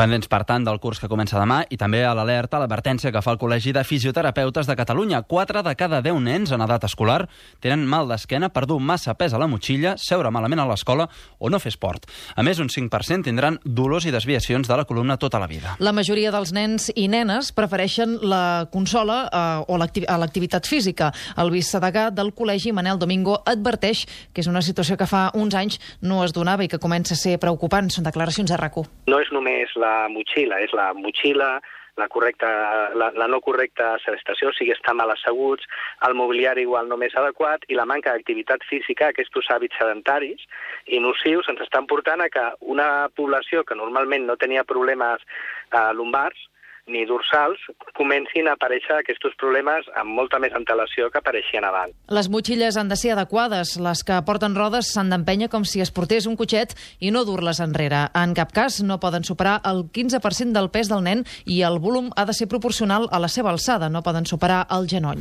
Pendents, per tant, del curs que comença demà i també a l'alerta, l'advertència que fa el Col·legi de Fisioterapeutes de Catalunya. 4 de cada 10 nens en edat escolar tenen mal d'esquena per dur massa pes a la motxilla, seure malament a l'escola o no fer esport. A més, un 5% tindran dolors i desviacions de la columna tota la vida. La majoria dels nens i nenes prefereixen la consola o l'activitat física. El vicedegà del Col·legi, Manel Domingo, adverteix que és una situació que fa uns anys no es donava i que comença a ser preocupant. Són declaracions a RAC1. No és només la motxilla, és la motxilla, la no correcta sedestació, o sigui, estar mal asseguts, el mobiliari igual no més adequat i la manca d'activitat física, aquests hàbits sedentaris i nocius ens estan portant a que una població que normalment no tenia problemes lumbars ni dorsals, comencin a aparèixer aquests problemes amb molta més antelació que apareixien abans. Les motxilles han de ser adequades. Les que porten rodes s'han d'empènyer com si es portés un cotxet i no dur-les enrere. En cap cas no poden superar el 15% del pes del nen i el volum ha de ser proporcional a la seva alçada. No poden superar el genoll.